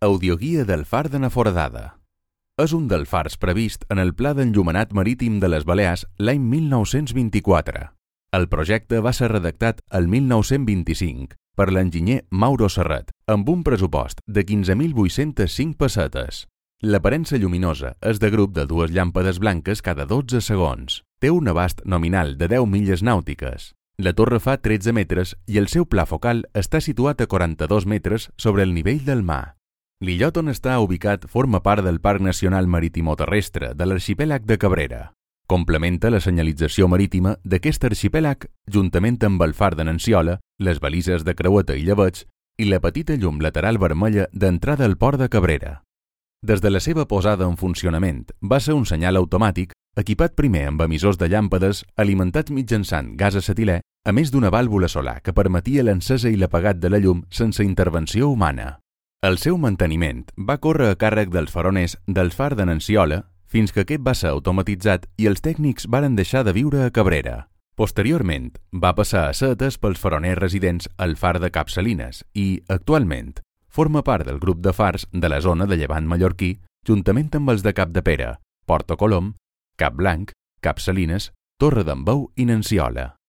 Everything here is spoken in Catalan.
Audioguia del far de Naforadada. És un dels fars previst en el Pla d'Enllumenat Marítim de les Balears l'any 1924. El projecte va ser redactat el 1925 per l'enginyer Mauro Serret, amb un pressupost de 15.805 pessetes. L'aparença lluminosa és de grup de 2 llàmpades blanques cada 12 segons. Té un abast nominal de 10 milles nàutiques. La torre fa 13 metres i el seu pla focal està situat a 42 metres sobre el nivell del mar. L'illot on està ubicat forma part del Parc Nacional Maritimoterrestre de l'Arxipèlag de Cabrera. Complementa la senyalització marítima d'aquest arxipèlag juntament amb el far de Nanciola, les balises de creueta i llebeig i la petita llum lateral vermella d'entrada al port de Cabrera. Des de la seva posada en funcionament va ser un senyal automàtic equipat primer amb emissors de llàmpades alimentats mitjançant gas acetilè, a més d'una vàlvula solar que permetia l'encesa i l'apagat de la llum sense intervenció humana. El seu manteniment va córrer a càrrec dels faroners del far de Nanciola fins que aquest va ser automatitzat i els tècnics varen deixar de viure a Cabrera. Posteriorment, va passar a ser atès pels faroners residents al far de Cap Salines i, actualment, forma part del grup de fars de la zona de Llevant mallorquí juntament amb els de Capdepera, Porto Colom, Cap Blanc, Cap Salines, Torre d'en Bou i Nanciola.